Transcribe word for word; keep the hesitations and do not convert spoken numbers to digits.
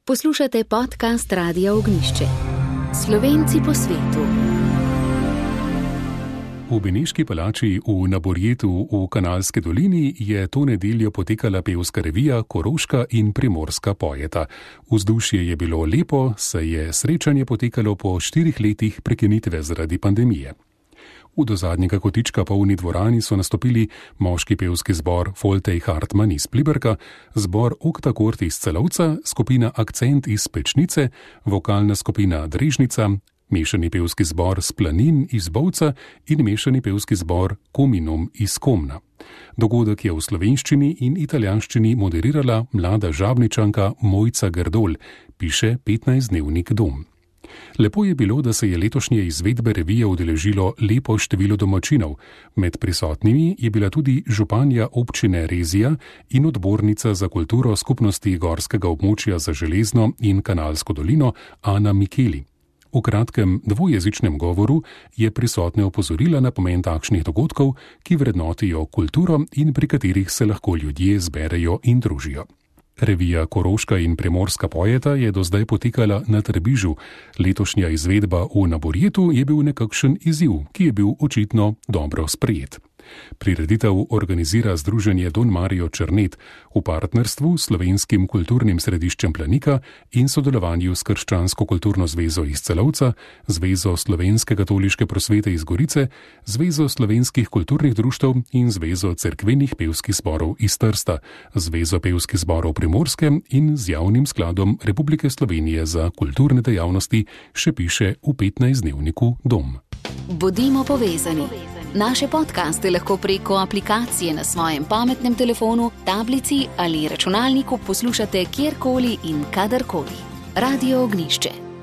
Poslušate podcast Radia Ognjišče. Slovenci po svetu. V Beneški palači v Naborjetu v Kanalski dolini je to nedeljo potekala pevska revija Koroška in Primorska pojeta. Vzdušje je bilo lepo, saj je srečanje potekalo po štirih letih prekinitve zaradi pandemije. V do zadnjega kotička polni dvorani so nastopili moški pevski zbor Foltej Hartman iz Pliberka, zbor Oktakort iz Celovca, skupina Akcent iz Pečnice, vokalna skupina Drežnica, mešani pevski zbor Splanin iz Bovca in mešani pevski zbor Kominum iz Komna. Dogodek je v slovenščini in italijanščini moderirala mlada žabničanka Mojca Grdol, piše petnajstdnevnik Dom. Lepo je bilo, da se je letošnje izvedbe revije udeležilo lepo število domačinov. Med prisotnimi je bila tudi županja občine Rezija in odbornica za kulturo skupnosti gorskega območja za Železno in Kanalsko dolino Ana Mikeli. V kratkem dvojezičnem govoru je prisotne opozorila na pomen takšnih dogodkov, ki vrednotijo kulturo in pri katerih se lahko ljudje zberejo in družijo. Revija Koroška in Primorska pojeta je do zdaj potekala na Trbižu. Letošnja izvedba v Naborjetu je bil nekakšen izziv, ki je bil očitno dobro sprejet. Prireditev organizira združenje Don Mario Černet v partnerstvu s Slovenskim kulturnim središčem Planika in sodelovanju s Krščansko kulturno zvezo iz Celovca, Zvezo slovenske katoliške prosvete iz Gorice, Zvezo slovenskih kulturnih društev in Zvezo cerkvenih pevskih zborov iz Trsta, Zvezo pevskih zborov Primorske in z Javnim skladom Republike Slovenije za kulturne dejavnosti, še piše v petnajstdnevniku Dom. Bodimo povezani. Naše podcaste lahko preko aplikacije na svojem pametnem telefonu, tablici ali računalniku poslušate kjerkoli in kadarkoli. Radio Ognjišče.